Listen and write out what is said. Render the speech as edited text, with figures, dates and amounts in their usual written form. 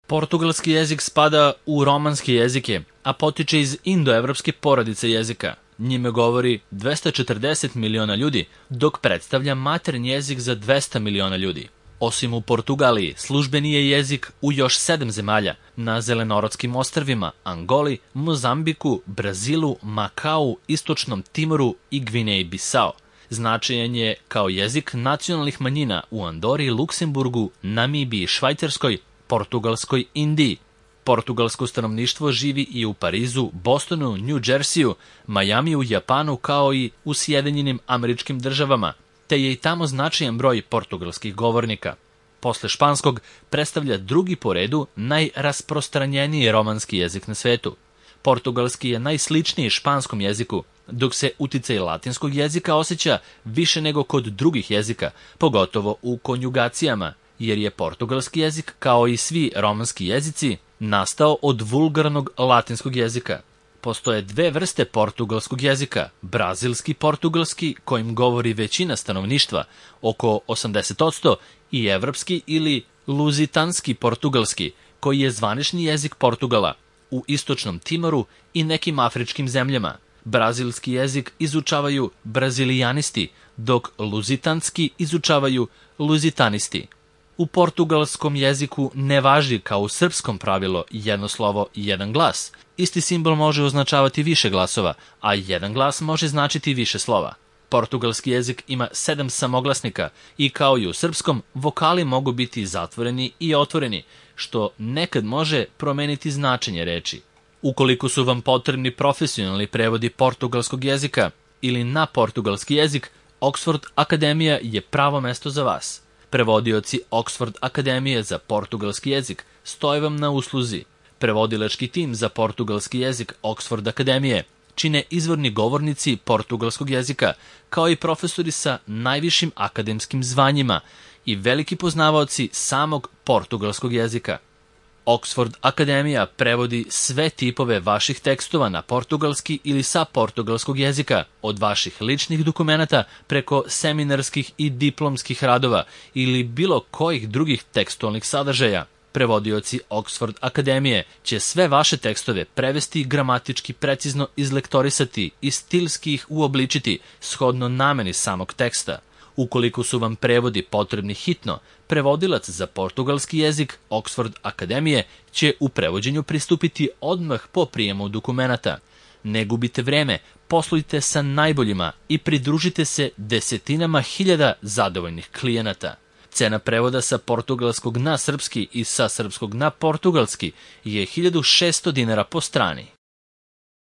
Portugalski jezik spada u romanske jezike, a potiče iz indoevropske porodice jezika. Njime govori 240 miliona ljudi, dok predstavlja maternji jezik za 200 miliona ljudi. Osim u Portugaliji, službeni je jezik u još 7 zemalja, na Zelenorodskim ostrvima, Angoli, Mozambiku, Brazilu, Makau, Istočnom Timoru i Gvineji Bisao. Značajan je kao jezik nacionalnih manjina u Andori, Luksemburgu, Namibiji, Švajcarskoj, Portugalskoj Indiji. Portugalsko stanovništvo živi i u Parizu, Bostonu, New Jerseyu, Majamiju, Japanu kao i u Sjedinjenim Američkim Državama, te je i tamo značajan broj portugalskih govornika. Posle španskog predstavlja drugi po redu najrasprostranjeniji romanski jezik na svetu. Portugalski je najsličniji španskom jeziku, dok se uticaj latinskog jezika osjeća više nego kod drugih jezika, pogotovo u konjugacijama, jer je portugalski jezik, kao i svi romanski jezici, nastao od vulgarnog latinskog jezika. Postoje dve vrste portugalskog jezika, brazilski portugalski, kojim govori većina stanovništva, oko 80%, i evropski ili luzitanski portugalski, koji je zvanični jezik Portugala, u Istočnom Timoru i nekim afričkim zemljama. Brazilski jezik izučavaju brazilijanisti, dok luzitanski izučavaju luzitanisti. U portugalskom jeziku ne važi kao u srpskom pravilo jedno slovo i jedan glas. Isti simbol može označavati više glasova, a jedan glas može značiti više slova. Portugalski jezik ima 7 samoglasnika i kao i u srpskom, vokali mogu biti zatvoreni i otvoreni, što nekad može promeniti značenje reči. Ukoliko su vam potrebni profesionalni prevodi portugalskog jezika ili na portugalski jezik, Oxford Akademija je pravo mesto za vas. Prevodioci Oxford Akademije za portugalski jezik stoje vam na usluzi. Prevodilački tim za portugalski jezik Oxford Akademije čine izvorni govornici portugalskog jezika, kao i profesori sa najvišim akademskim zvanjima i veliki poznavaoci samog portugalskog jezika. Oxford Akademija prevodi sve tipove vaših tekstova na portugalski ili sa portugalskog jezika, od vaših ličnih dokumenata preko seminarskih i diplomskih radova ili bilo kojih drugih tekstualnih sadržaja. Prevodioci Oxford Akademije će sve vaše tekstove prevesti, gramatički precizno izlektorisati i stilski ih uobličiti shodno nameni samog teksta. Ukoliko su vam prevodi potrebni hitno, prevodilac za portugalski jezik Oxford Akademije će u prevođenju pristupiti odmah po prijemu dokumenata. Ne gubite vreme, poslujte sa najboljima i pridružite se desetinama hiljada zadovoljnih klijenata. Cena prevoda sa portugalskog na srpski i sa srpskog na portugalski je 1600 dinara po strani.